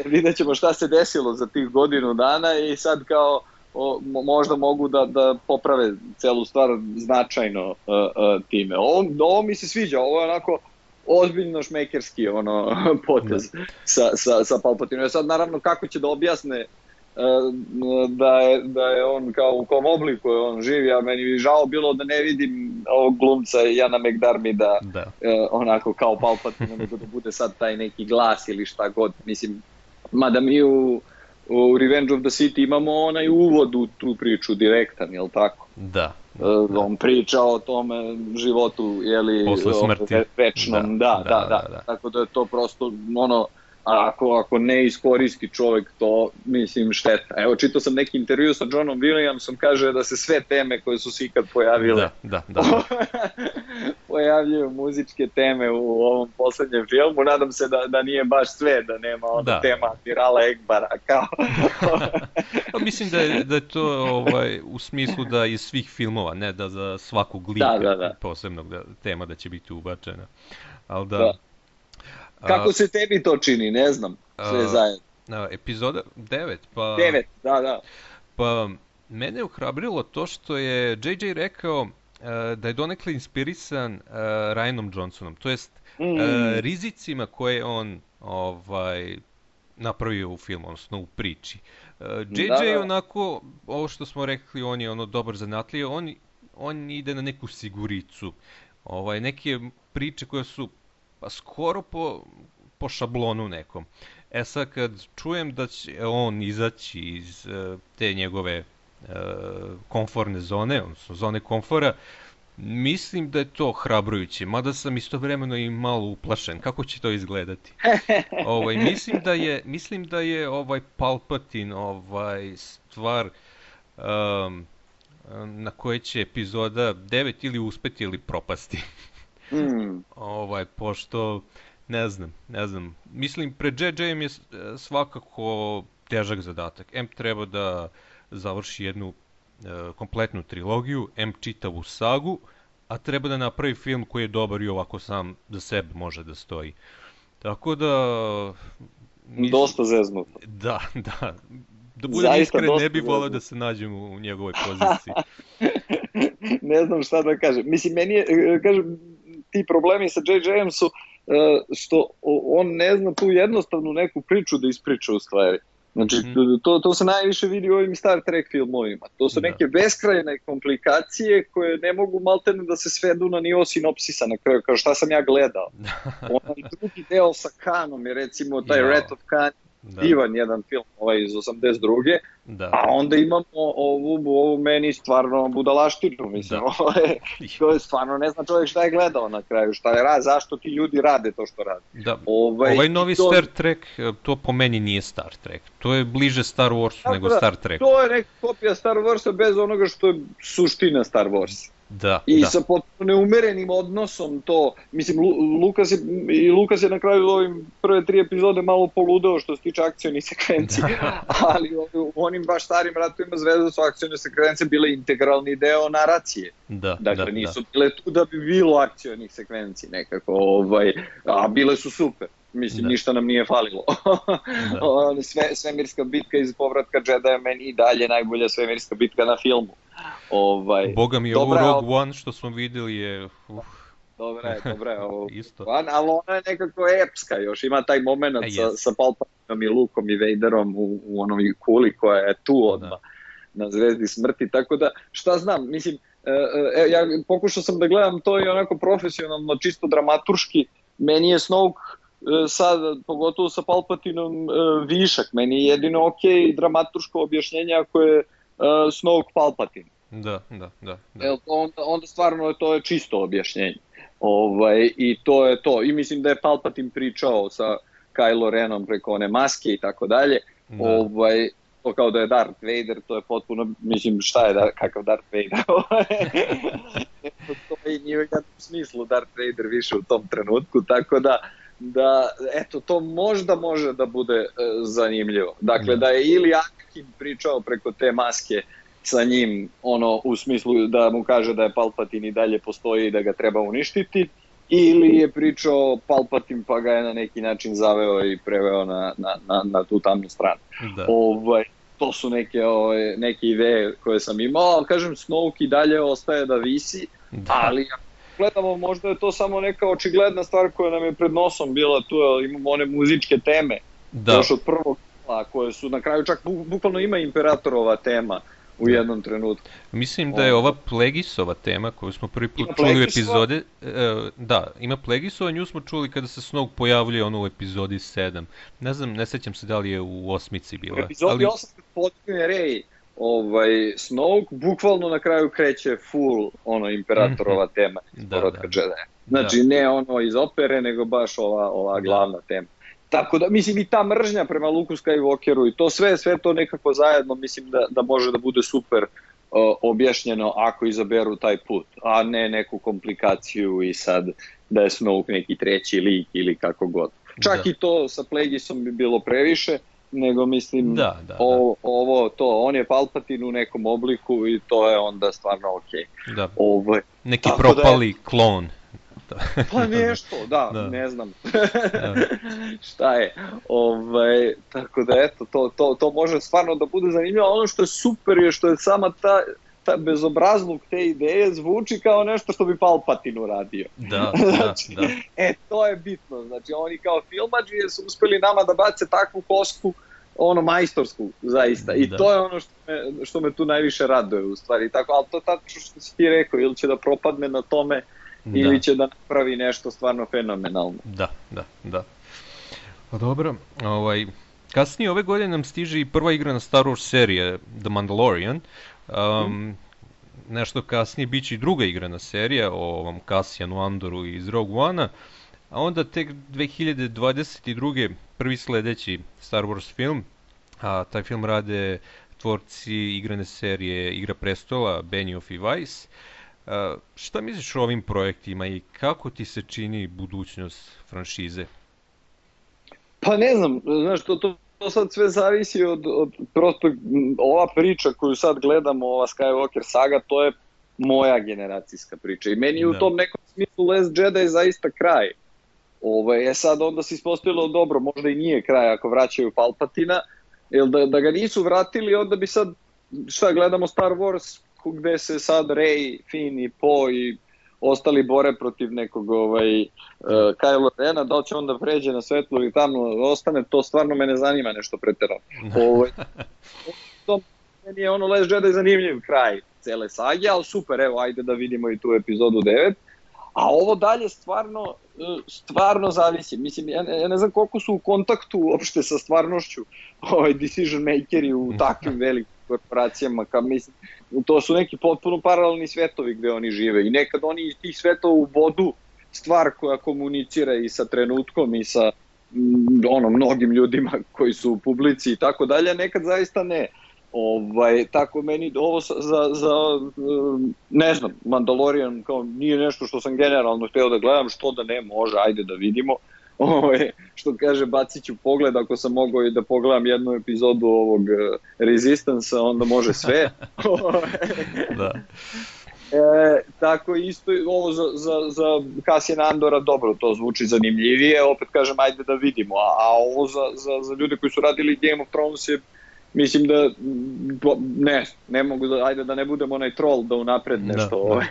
vidjet ćemo šta se desilo za tih godinu dana i sad kao o, možda mogu da, da poprave celu stvar značajno uh, uh, time. Ovo, ovo mi se sviđa, ovo je onako ozbiljno šmekerski ono, potez sa, sa, sa Palpatinom. Sad naravno kako će da objasne uh, da, je, da je on kao u kom obliku je on živi, a meni bi žao bilo da ne vidim ovog glumca Jana McDermida da. uh, onako kao Palpatina, nego da bude sad taj neki glas ili šta god. Mislim, mada mi u, u Revenge of the Sith imamo onaj uvod u tu priču direktan, jel tako? Da. Uh, on priča o tome životu, jeli, posle smrti. Večnom, da da da, da, da, da. Tako da je to prosto ono, ako, ako ne iskoristi čovjek to, mislim, šteta. Evo, čitao sam neki intervju sa Johnom Williamsom, kaže da se sve teme koje su se ikad pojavile, da, da, da. pojavljuju muzičke teme u ovom poslednjem filmu. Nadam se da, da nije baš sve, da nema ona da. tema Admirala Ekbara, kao... Pa mislim da je, da je to ovaj, u smislu da iz svih filmova, ne da za svakog lika da, da, da. posebnog da, tema da će biti ubačena. Ali da... da. Kako se tebi to čini, ne znam, sve zajedno. Uh, epizoda devet, pa... devet, da, da. Pa, mene je ohrabrilo to što je J J rekao uh, da je donekle inspirisan uh, Ryanom Johnsonom, to jest mm. uh, rizicima koje on ovaj, napravio u filmu, odnosno u priči. J J onako, ovo što smo rekli, on je ono dobar zanatlija, on, on ide na neku siguricu. Ovaj, neke priče koje su pa skoro po, po šablonu nekom. E sad kad čujem da će on izaći iz uh, te njegove uh, komforne zone, odnosno zone komfora, mislim da je to hrabrujuće, mada sam istovremeno i malo uplašen. Kako će to izgledati? ovaj, mislim da je, mislim da je ovaj Palpatine ovaj, stvar um, na koje će epizoda devet ili uspeti ili propasti. mm. ovaj, pošto, ne znam, ne znam. Mislim, pred J J-em je svakako težak zadatak. M treba da završi jednu kompletnu trilogiju, em čitavu sagu, a treba da napravi film koji je dobar i ovako sam za sebe može da stoji. Tako da... Mislim, dosta zeznuto. Da, da. Da budem iskren, ne bi voleo da se nađem u njegovoj poziciji. Ne znam šta da kažem. Mislim, meni je, kažem, ti problemi sa J J-em su što on ne zna tu jednostavnu neku priču da ispriča u stvari. Znači, mm-hmm. to, to se najviše vidi u ovim Star Trek filmovima. To su neke da. beskrajne komplikacije koje ne mogu maltene da se svedu na nivo sinopsisa na kraju, kao šta sam ja gledao. Onaj drugi deo sa Kanom je recimo taj ja. Wrath of Khan, da. divan jedan film ovaj iz osamdeset druge. Da. A onda imamo ovu, ovu meni stvarno budalaštinu, mislim, to je stvarno, ne zna čovjek šta je gledao na kraju, šta je rad, zašto ti ljudi rade to što rade. Da. Ovaj, ovaj novi to... Star Trek, to po meni nije Star Trek, to je bliže Star Warsu da, nego da, Star Treku. To je neka kopija Star Warsa bez onoga što je suština Star Warsa. Da, I da. sa potpuno neumerenim odnosom to, mislim, Lukas je, i Lukas je na kraju ovim prve tri epizode malo poludeo što se tiče akcijnih sekvenci, ali u onim baš starim ratovima Zvezda su akcijne sekvence bile integralni deo naracije. Da, dakle, da, nisu da. bile tu da bi bilo akcijnih sekvenci nekako, ovaj, a bile su super. Mislim, da. ništa nam nije falilo. Sve, svemirska bitka iz Povratka Jedi je meni i dalje najbolja svemirska bitka na filmu. Ovaj, Boga mi je ovo Rogue One što smo vidjeli je... Uf. Dobra je, dobra je ovo. Isto. Ali ona je nekako epska još, ima taj moment e, sa, sa Palpatinom i Lukom i Vaderom u, u onom kuli koja je tu odmah da. na Zvezdi smrti, tako da šta znam, mislim, e, ja pokušao sam da gledam to i onako profesionalno, čisto dramaturški, meni je Snoke sad, pogotovo sa Palpatinom, višak. Meni je jedino ok dramaturško objašnjenje ako je uh, Snoke Palpatine. Da, da, da. da. Jel, onda, onda stvarno to je čisto objašnjenje. Ovaj, I to je to. I mislim da je Palpatine pričao sa Kylo Renom preko one maske i tako dalje. Ovaj, to kao da je Darth Vader, to je potpuno, mislim, šta je, da, kakav Darth Vader? To je nije u jednom smislu Darth Vader više u tom trenutku, tako da da, eto, to možda može da bude e, zanimljivo. Dakle, da je ili Anakin pričao preko te maske sa njim, ono, u smislu da mu kaže da je Palpatine i dalje postoji i da ga treba uništiti, ili je pričao Palpatine pa ga je na neki način zaveo i preveo na, na, na, na tu tamnu stranu. Da. Ovaj, to su neke, ove, neke ideje koje sam imao, ali kažem, Snoke i dalje ostaje da visi, da. ali gledamo, možda je to samo neka očigledna stvar koja nam je pred nosom bila tu, imamo one muzičke teme, da. još od prvog dela, koje su na kraju čak bu, bukvalno ima Imperatorova tema u da. jednom trenutku. Mislim da je ova Plagueisova tema koju smo prvi put čuli u epizode, e, da, ima Plagueisova, nju smo čuli kada se Snoke pojavljuje ono u epizodi sedam. Ne znam, ne sećam se da li je u osmici bila. U epizodi ali... osam kad potigne Rey, ovaj, Snoke bukvalno na kraju kreće full ono Imperatorova tema iz Povratka Jedi. Znači da. ne ono iz opere, nego baš ova, ova glavna da. tema. Tako da, mislim, i ta mržnja prema Luku Skywalkeru i to sve, sve to nekako zajedno, mislim da, da može da bude super uh, objašnjeno ako izaberu taj put, a ne neku komplikaciju i sad da je Snoke neki treći lik ili kako god. Čak da. i to sa Plagueisom bi bilo previše, nego mislim da, da, ovo, ovo, to, on je Palpatine u nekom obliku i to je onda stvarno okej. Okay. Da. Ovo, neki propali je, klon. Pa nešto, da, da. ne znam da. šta je. Ovaj, tako da eto, to, to, to može stvarno da bude zanimljivo. Ono što je super je što je sama ta, ta, bezobrazluk te ideje zvuči kao nešto što bi Palpatine uradio. Da, znači, da, da. E, to je bitno. Znači, oni kao filmadžije su uspeli nama da bace takvu kosku, ono, majstorsku, zaista. I da. To je ono što me, što me tu najviše raduje, u stvari. Tako, ali to tačno što si ti rekao, ili će da propadne na tome, da. Ili će da napravi nešto stvarno fenomenalno. Da, da, da. Pa dobro, ovaj... Kasnije ove godine nam stiže i prva igra na Star Wars serije, The Mandalorian. Um, mm. Nešto kasnije bit će i druga igrana serija o ovom Cassianu Andoru iz Rogue One-a. A onda tek dve hiljade dvadeset druge prvi sledeći Star Wars film. A taj film rade tvorci igrane serije Igra prestola, Benioff i Weiss. A, šta misliš o ovim projektima i kako ti se čini budućnost franšize? Pa ne znam, znaš, to, to, to sad sve zavisi od, od prosto, ova priča koju sad gledamo, ova Skywalker saga, to je moja generacijska priča i meni da. U tom nekom smislu Last Jedi zaista kraj. Ovo, je sad onda se ispostavilo dobro, možda i nije kraj ako vraćaju Palpatina, jer da, da ga nisu vratili, onda bi sad, šta, gledamo Star Wars, gde se sad Rey, Finn i Poe i ostali bore protiv nekog ovaj, uh, Kylo Rena, da li će onda pređe na svetlo ili tamo ostane, to stvarno me ne zanima nešto preterano. Ovaj, to meni je ono Last Jedi zanimljiv kraj cele sage, ali super, evo, ajde da vidimo i tu epizodu devet. A ovo dalje stvarno, stvarno zavisi. Mislim, ja ne, ja ne znam koliko su u kontaktu uopšte sa stvarnošću ovaj decision makeri u takvim velikim korporacijama, ka, mislim, to su neki potpuno paralelni svetovi gde oni žive i nekad oni iz tih svetova u vodu stvar koja komunicira i sa trenutkom i sa m, ono, mnogim ljudima koji su u publici i tako dalje, nekad zaista ne. Ovaj, tako meni ovo za, za, ne znam, Mandalorian kao nije nešto što sam generalno hteo da gledam, što da ne, može, ajde da vidimo. Ovaj, što kaže, bacit ću pogled, ako sam mogao i da pogledam jednu epizodu ovog Resistance-a, onda može sve. Da. E, tako isto ovo za, za, za Cassiana Andora, dobro, to zvuči zanimljivije, opet kažem, ajde da vidimo, a, a ovo za, za, za ljude koji su radili Game of Thrones je, mislim da, ne, ne mogu da, ajde da ne budem onaj troll da unapred nešto, da, ovaj,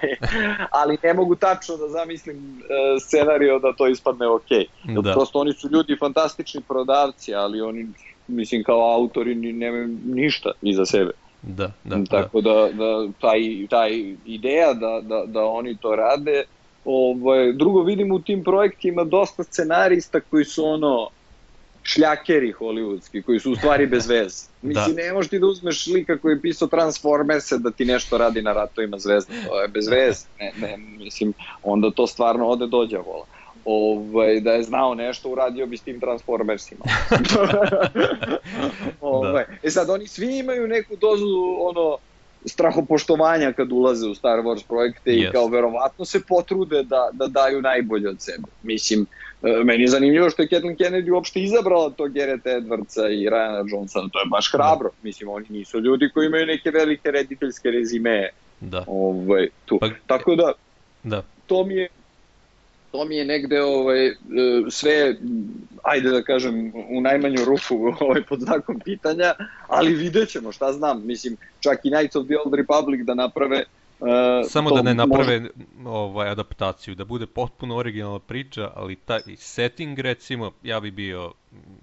ali ne mogu tačno da zamislim uh, scenario da to ispadne okej. Da. Prosto oni su ljudi fantastični prodavci, ali oni, mislim, kao autori nemaju ništa iza sebe. Da, da, tako da, da taj, taj ideja da, da, da oni to rade. Ovaj, drugo, vidim u tim projektima dosta scenarista koji su ono šljakeri hollywoodski, koji su u stvari bez veze. Mislim, da. Ne možeš ti da uzmeš lika koji je pisao Transformerse da ti nešto radi na Ratovima zvezda, to je bez veze. Ne, ne, mislim, onda to stvarno ode dođe vola. Ovaj, da je znao nešto, uradio bi s tim Transformersima. ovaj. Da. E sad, oni svi imaju neku dozu ono, strahopoštovanja kad ulaze u Star Wars projekte yes. i kao verovatno se potrude da, da daju najbolje od sebe. Mislim, meni je zanimljivo što je Kathleen Kennedy uopšte izabrala to Garretta Edwardsa i Ryana Johnsona, to je baš hrabro. Mislim, oni nisu ljudi koji imaju neke velike rediteljske rezime. Da. Ovaj, tu. Pa, tako da, da, to mi je to mi je negde ovaj, sve, ajde da kažem, u najmanju ruku ovaj, pod znakom pitanja, ali vidjet ćemo, šta znam, mislim, čak i Knights of the Old Republic da naprave. Uh, Samo da ne naprave može... ovaj, adaptaciju, da bude potpuno originalna priča, ali taj setting, recimo, ja bi bio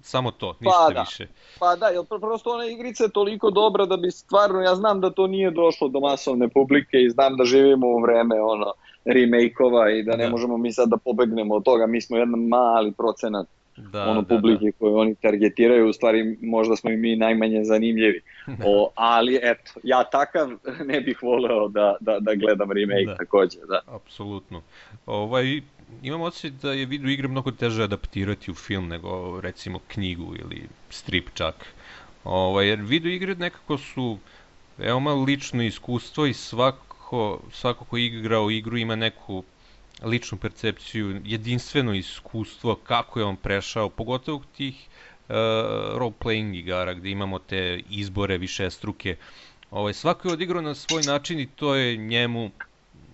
samo to, ništa pa da, više. Pa da, jer prosto ona igrica je toliko dobra da bi stvarno, ja znam da to nije došlo do masovne publike i znam da živimo u vreme ono remake-ova i da ne da. možemo mi sad da pobegnemo od toga, mi smo jedan mali procenat da, ono da, publike da. koju oni targetiraju, u stvari možda smo i mi najmanje zanimljivi. O, ali eto, ja takav ne bih voleo da, da, da gledam remake da. takođe. Da. Apsolutno. Ovaj, imam osjećaj da je video igre mnogo teže adaptirati u film nego recimo knjigu ili strip čak. Ovaj, jer video igre nekako su veoma lično iskustvo i svako, svako ko igra u igru ima neku ličnu percepciju, jedinstveno iskustvo kako je on prešao, pogotovo tih uh, role-playing igara gde imamo te izbore višestruke. Ovaj, svako je odigrao na svoj način i to je njemu,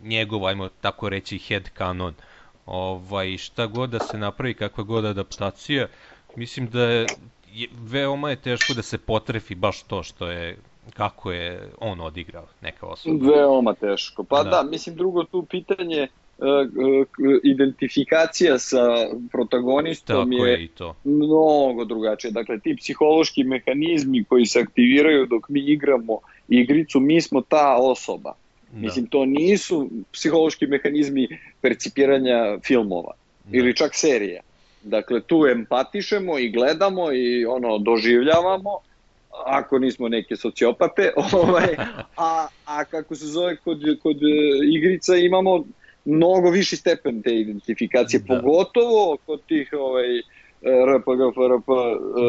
njegov, ajmo tako reći, headcanon. Ovaj, šta god da se napravi, kakva god adaptacija, mislim da je, veoma je teško da se potrefi baš to što je kako je on odigrao neka osoba. Veoma teško. Pa da, Da. da mislim drugo tu pitanje uh, uh, identifikacija sa protagonistom Tako je je i to. mnogo drugačije. Dakle, ti psihološki mehanizmi koji se aktiviraju dok mi igramo igricu, mi smo ta osoba. Da. Mislim, to nisu psihološki mehanizmi percipiranja filmova Da. ili čak serija. Dakle, tu empatišemo i gledamo i ono doživljavamo, ako nismo neke sociopate, ovaj, a, a kako se zove, kod, kod igrica imamo mnogo viši stepen te identifikacije, Da. pogotovo kod tih ovaj, R P G, F R P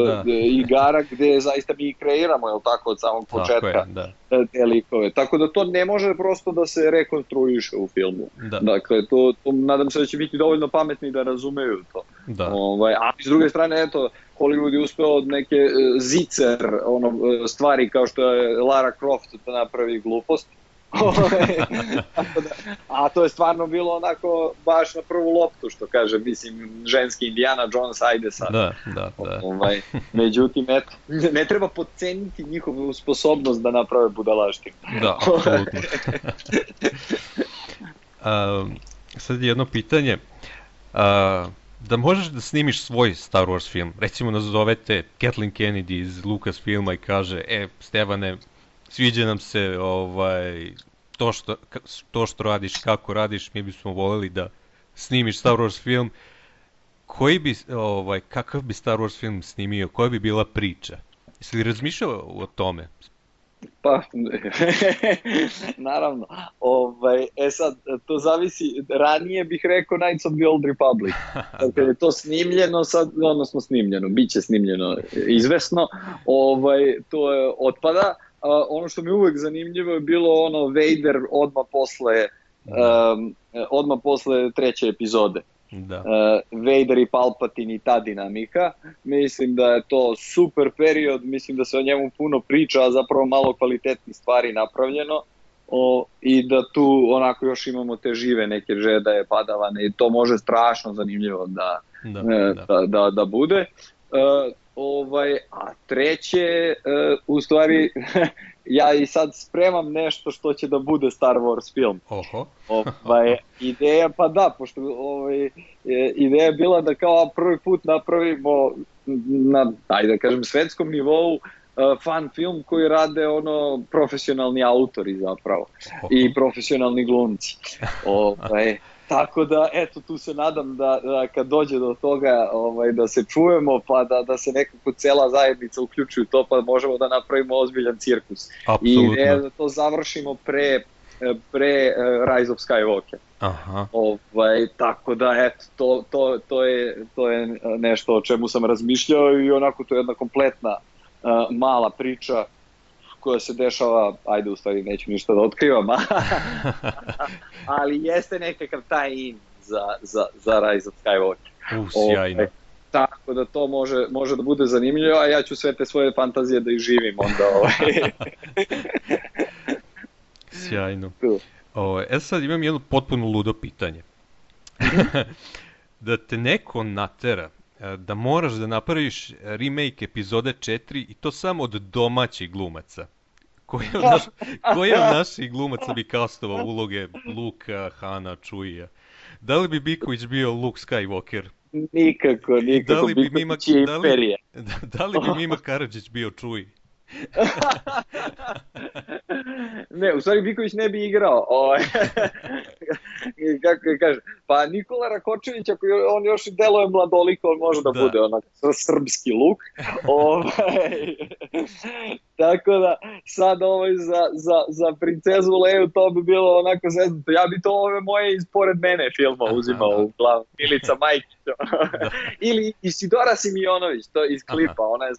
Da. igara gde zaista mi kreiramo, jel tako, od samog Tako početka je, da. te likove. Tako da to ne može prosto da se rekonstruiše u filmu. Da. Dakle, to, to nadam se da će biti dovoljno pametni da razumeju to. Da. Ovaj, a s druge strane, eto, Hollywood je uspeo od neke e, zicer ono, e, stvari kao što je Lara Croft da napravi glupost. Tako da, a to je stvarno bilo onako baš na prvu loptu, što kaže, mislim, ženski Indiana Jones, ajde sad. Da, da, da. Ovaj, međutim, eto, ne treba podceniti njihovu sposobnost da naprave budalaštinu. Da, apsolutno. A, sad je jedno pitanje. A, da možeš da snimiš svoj Star Wars film, recimo nazovete Kathleen Kennedy iz Lucasfilma i kaže, e, Stevane, sviđa nam se ovaj, to, što, to što radiš, kako radiš, mi bismo voljeli da snimiš Star Wars film. Koji bi, ovaj, kakav bi Star Wars film snimio, koja bi bila priča? Jesi li razmišljao o tome? Pa, naravno. Ovaj, e sad, to zavisi, ranije bih rekao Knights of the Old Republic. Dakle, je to snimljeno, sad, odnosno snimljeno, bit će snimljeno izvesno, ovaj, to je otpada. Uh, ono što mi uvek zanimljivo je bilo ono Vader odmah posle, um, odmah posle treće epizode. Da. Uh, Vader i Palpatine i ta dinamika. Mislim da je to super period, mislim da se o njemu puno priča, a zapravo malo kvalitetnih stvari napravljeno. O, i da tu onako još imamo te žive neke Jedi padavane i to može strašno zanimljivo da, Da, e, da. da, da, da bude. E, ovaj, a treće, e, u stvari, ja i sad spremam nešto što će da bude Star Wars film. Oho. Ovaj, ideja, pa da, pošto ovaj, e, ideja je bila da kao prvi put napravimo na, ajde da kažem, svetskom nivou Uh, fan film koji rade ono profesionalni autori zapravo i profesionalni glumci. Ovaj, tako da, eto, tu se nadam da, da kad dođe do toga ovaj, da se čujemo, pa da, da se nekako cela zajednica uključi u to, pa možemo da napravimo ozbiljan cirkus. Apsolutno. I ideja da to završimo pre, pre uh, Rise of Skywalker. Aha. Ovaj, tako da, eto, to, to, to, je, to je nešto o čemu sam razmišljao i onako to je jedna kompletna Uh, mala priča koja se dešava, ajde u stvari neću ništa da otkrivam, ali jeste nekakav taj in za, za, za Rise of Skywalker. U, sjajno. Ove, tako da to može, može da bude zanimljivo, a ja ću sve te svoje fantazije da izživim onda. Ovaj. Sjajno. O, e sad imam jedno potpuno ludo pitanje. Da te neko natera da moraš da napraviš remake epizode četiri i to samo od domaćih glumaca. Koji od, naš, koji od naših glumaca bi kastovao uloge Luka, Hana, Chewija? Da li bi Biković bio Luke Skywalker? Nikako, nikako. Da li bi Mima, da li, da, da li bi Mima Karadžić bio Chewie? Ne, u stvari Biković ne bi igrao. O, kako kaže, pa Nikola Rakočević, ako on još deluje mladoliko, on može da, da. bude onak srpski luk. Ovaj, tako da, sad ovaj za, za, za princezu Leju to bi bilo onako zeznuto. Ja bi to ove moje ispored mene filma uzimao u glavu. Milica Majkić. Ili Isidora Simionović, to iz klipa, ona je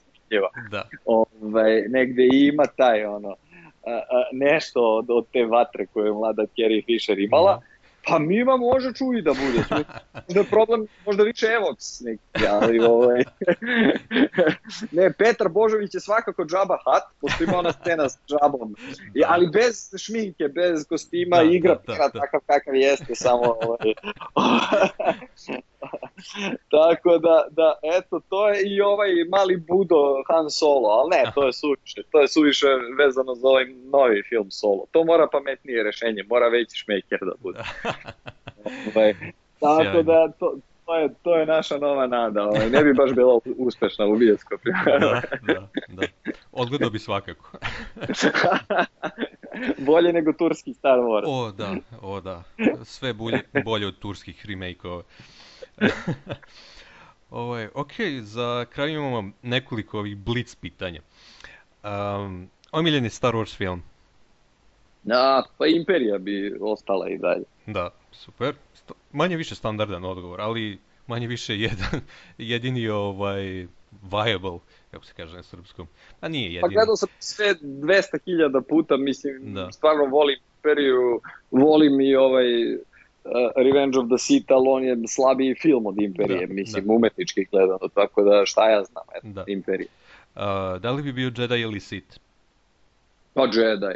da. Ovaj, negde ima taj ono a, a, nešto od, od te vatre koje je mlada Carrie Fisher imala, pa Mima može Chewie da bude. Možda je problem, možda više Evox neki, ali ovaj... Ne, Petar Božović je svakako Jabba Hutt, pošto ima ona scena s Jabbom, ali bez šminke, bez kostima, da, igra da, da, da. Takav kakav jeste, samo ovaj... Tako da, da, eto, to je i ovaj mali Budo Han Solo, ali ne, to je suviše, to je suviše vezano za ovaj novi film Solo. To mora pametnije rešenje, mora veći šmeker da bude. Ovaj, tako da, to, to, je, to je naša nova nada, ovaj, ne bi baš bila uspešna u bioskopima. Da, da, da. Odgledao bi svakako. Bolje nego turski Star Wars. O da, o da. Sve bolje, bolje od turskih remake-ova. Ovaj, ok, za kraj imamo nekoliko ovih blitz pitanja. Um, omiljeni Star Wars film? A, pa Imperija bi ostala i dalje. Da, super. St- manje više standardan odgovor, ali manje više jedan, jedini ovaj viable, kako se kaže na srpskom. A nije jedini. Pa gledao sam sve dvesta hiljada puta, mislim, Da. stvarno volim Imperiju, volim i ovaj uh, Revenge of the Sith, ali on je slabiji film od Imperije, Da, mislim, da. umetnički gledano, tako da šta ja znam, eto, Da. Imperija. Uh, da li bi bio Jedi ili Sith? Pa Jedi.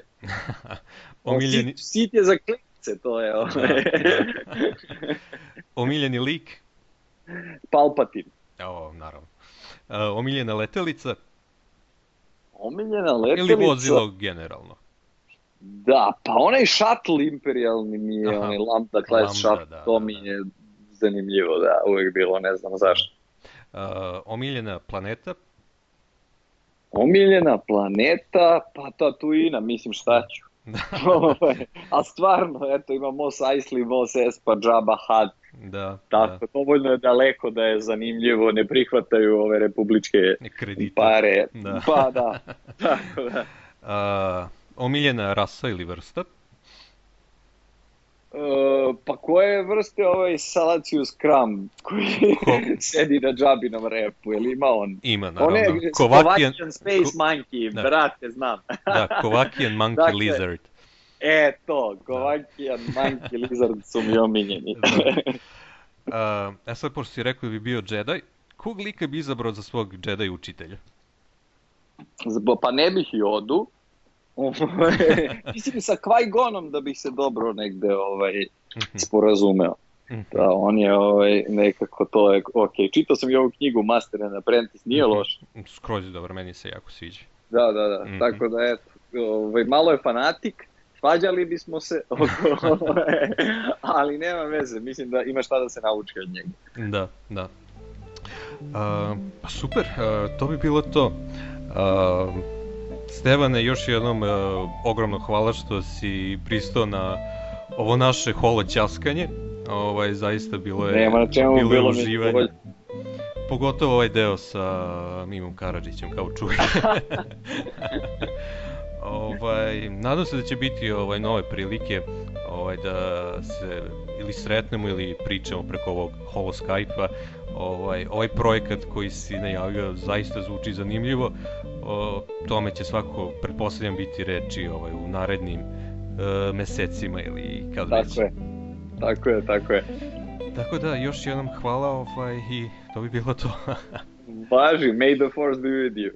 Omiljeni, Sith, Sith je za klince, to je ovaj. Da, omiljeni lik? Palpatine. O, naravno. Uh, omiljena letelica Omiljena letelica. ili vozilo generalno? Da, pa onaj shuttle imperijalni mi je, Aha. onaj Lambda class Lambda, shuttle, da, to da, mi da. je zanimljivo, da, uvijek bilo, ne znam zašto. Uh, omiljena planeta? Omiljena planeta, pa Tatooine, mislim šta ću. A stvarno, eto, ima Mos Eisley, Mos Espa, Jabba Hutt, Da, tako, dovoljno je daleko da je zanimljivo, ne prihvataju ove republičke da. Kredite. pare, Da. pa da, tako da. Uh, omiljena rasa ili vrsta? Uh, pa koje vrste ovaj Salacius Crumb koji Ko- sedi na Jabbinom repu, je li ima on? Ima, On naravno. je Kovakian, Kovakian Space Monkey, da. brate, znam. da, Kovakian Monkey Dakle, Lizard. E to, Kovakian Monkey Lizard su mi omiljeni. Uh, e sad, pošto si rekao da bi bio Jedi, kog lika bi izabrao za svog Jedi učitelja? Zbo- Pa ne bih Jodu. Mislim sa Qui-Gonom da bih se dobro negde ovaj, sporazumeo. Mhm. Da, on je ovaj, nekako to je, ok, čitao sam i ovu knjigu Master and Apprentice, nije Mhm. loš. Skroz je dobro, meni se jako sviđa. Da, da, da, Mhm. tako da eto, ovaj, malo je fanatik, svađali bismo se, oko, ali nema veze, mislim da ima šta da se nauči od njega. Da, da. Uh, pa super, uh, to bi bilo to. Uh, Stevane, još jednom uh, ogromno hvala što si pristao na ovo naše holo ćaskanje. Ovaj, zaista bilo je, Nema na čemu, bilo je bilo mi je uživanje. bolje. Pogotovo ovaj deo sa Mimom Karadžićem, kao čuje. ovaj, nadam se da će biti ovaj, nove prilike ovaj, da se ili sretnemo ili pričamo preko ovog holo Skype-a. Ovaj, ovaj projekat koji si najavio zaista zvuči zanimljivo. O tome će svakako, pretpostavljam, biti reči ovaj, u narednim e, mesecima ili kad već. Tako je, tako je, tako je. Tako da, još jednom hvala ovaj, i to bi bilo to. Važi, may the force be with you.